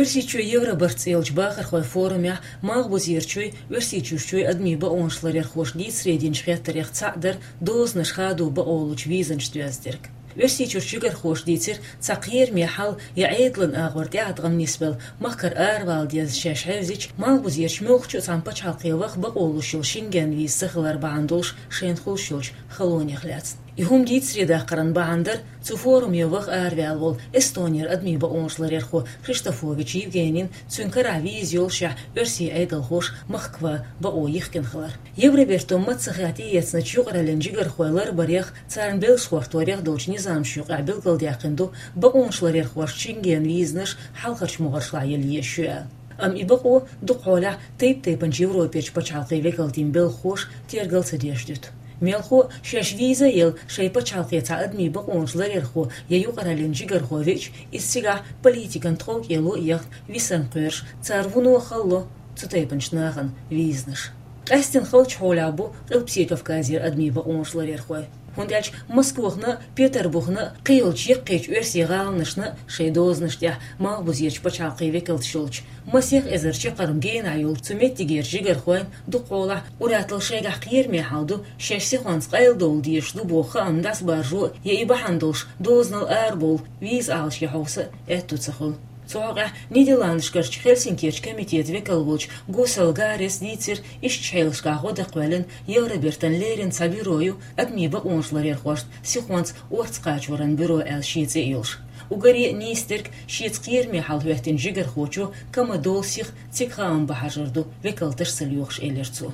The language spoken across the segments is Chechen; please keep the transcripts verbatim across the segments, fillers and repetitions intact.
Оьрсийчоь Евробарт цӀе йолчу бахархойн форумехь малхбузерчуй, Оьрсийчуьрчуй адамийн бакъонаш ларъярхоша дийцаре динчу хеттарех цхьаъ дара дозанаш хадо бакъо лучу визанаш доьзна дерг. Оьрсийчуьрчу жигархоша дийцира, цхьа кхераме хьал я Ӏедалан агӀор тӀеӀаткъам нисбелла, махкара аравала деза шаьш хьевзича, малхбузерчу муьлххачу а цхьана пачхьалкхе ваха бакъо луш йолу Шенген виза ца хилар бахьана долуш шайна хуьлуш йолчу халонех лаьцна. И хӀума дийцаре даккхаран бахьана дара цу форуме ваха араваьлла волу Эстонера адамийн бакъонаш ларъярхо Хриштофович Евгенин, цуьнан карахь виза йолушехь, оьрсийн Ӏедалхоша махка ван бакъо йихкина хилар. Евробарто маццахь тӀеэцначу юкъараллин жигархой ларбарех, царна белш хӀотторех долчу низамашна юкъахь билгалдаьккхина ду, бакъонаш ларъярхошна Шенген визанаш хьалхарчу могӀаршлахь яла езаш ю аьлла. Амма и бакъо дукха хьолехь тайп-тайпанчу Европерчу пачхьалкхийн векалтийн белхахоша тергал ца деш дуьту. Мелхо а, шаьш виза а елла, шайн пачхьалкхе цхьа адамийн бакъонаш ларъярхо я юкъараллин жигархо веача, иза цигахь политикан тховкӀело а яхна, висарна кхоьруш, цара вуно а хало цу тайпанчу нахана визанаш. Къаьстина халчу хьолехь бу Къилбаседа Кавказера адамийн бакъонаш ларъярхой. ХӀунда аьлча Москвахна а, Петарбухна а, кхийолчу яккхийчу оьрсийн гӀаланашна а шайн дозанаш тӀехь малхбузерчу пачхьалкхийн векалташ йолчу, масех эзар чаккхарма генахь йолчу цу меттигерчу жигархойн дукха хьолахь ур-атталла шайгахь кхераме хьал ду, шаьш сихонца къайладовла дезаш ду боху хаам дӀасабаржо а, я и бахьана долуш дозанал арабовла виза Ӏалашъян хьовса а аьтто ца хуьлу. Цу хьокъехь Нидерландашкарчу Хельсинкерчу комитетан векал волчу Гусел Гарес дийцира, ишттачу хьелашкахь гӀо дан кхоьллина Евробартан леррина цхьа бюро ю адамийн бакъонаш ларъярхошна сихонца орца кхачоран бюро аьлла шен цӀе а йолуш. Уггаре а нийса дерг шеца кхераме хьал хӀоьттинчу жигархочо кама долу сиха цига хаам бан хьажар ду, векалташ ца лоьхуш, элира цо.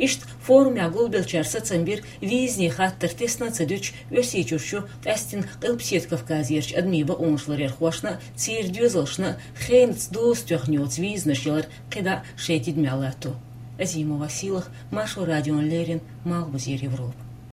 Иштта форумехь гулбеллачара сацам бира, визанийн хаттар тесна а ца дуьтуш, Оьрсийчуьрчу, къаьстина Къилбаседа Кавказерчу адамийн бакъонаш ларъярхошна а, церан доьзалшна а хенаца доза тоьхна йоцу визанаш ялар кхидӀа а шайн тидамехь латто. Азимова Силах, Маршо радиона леррина, Малхбузера Европа.